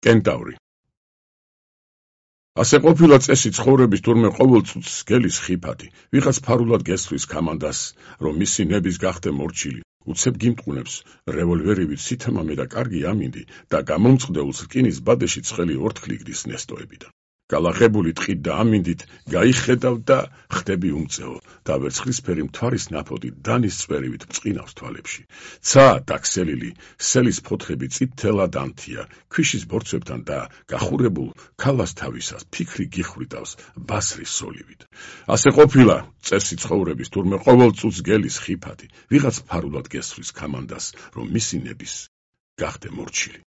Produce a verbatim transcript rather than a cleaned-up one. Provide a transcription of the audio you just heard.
კენტავრი. ასე ყოფილა წესი ცხოვრების თურმე ყოველ წუთს გელის ხიფათი, ვიღაც ფარულად გესხვის კამანდას, რომ მისი ნების გახდე მორჩილი, უცებ გიმტყუნებს რევოლვერივით სითამამე და კარგი ამინდი და გამომწყდეულს რკინის ბადეში ცხელი ორთქლიგდის ნესტოებიდან. გალაღებული ტყით და ამინდით გაიხედავ და ხდები უმწეო და ვერცხლისფერი მთვარის ნაფოტი დანის წვერივით მწყინავს თვალებში. ცა დაქსელილი სელის ფოთლები წითელად ანთია ქვიშის ბორცვებთან და გახურებულ ქალას თავისას ფიქრი გიხვიდავს ბასრის სოლივით. ასე ყოფილა წესი ცხოვრების თურმე ყოველ წუთს გელის ხიფათი, ვიღაც ფარულად გესხვის კამანდას, რომ მისი ნების გახდე მორჩილი.